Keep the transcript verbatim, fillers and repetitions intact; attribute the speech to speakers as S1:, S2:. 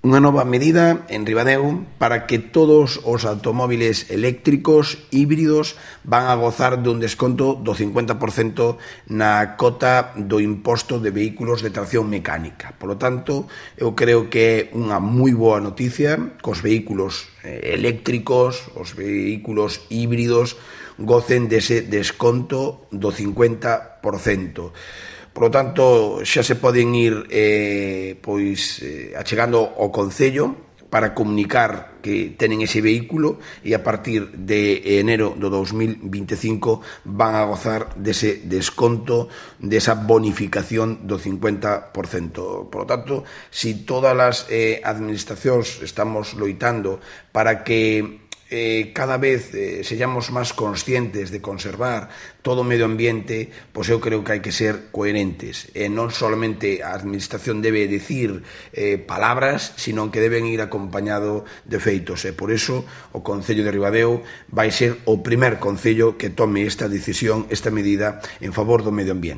S1: Unha nova medida en Ribadeo para que todos os automóviles eléctricos híbridos van a gozar dun desconto do cincuenta por cento na cota do imposto de vehículos de tracción mecánica. Por lo tanto, eu creo que é unha moi boa noticia que os vehículos eléctricos, os vehículos híbridos, gocen dese desconto do cincuenta por cento. Por lo tanto, xa se poden ir eh, pois, eh, achegando ao Concello para comunicar que tenen ese vehículo e a partir de enero do dos mil vinte e cinco van a gozar dese desconto, desa bonificación do cincuenta por cento. Por lo tanto, si todas as eh, administracións estamos loitando para que Eh, cada vez eh, sellamos máis conscientes de conservar todo o medio ambiente, pois eu creo que hai que ser coherentes. E non solamente a administración debe decir eh, palabras, sino que deben ir acompañado de feitos. E por iso o Concello de Ribadeo vai ser o primer concello que tome esta decisión, esta medida en favor do medio ambiente.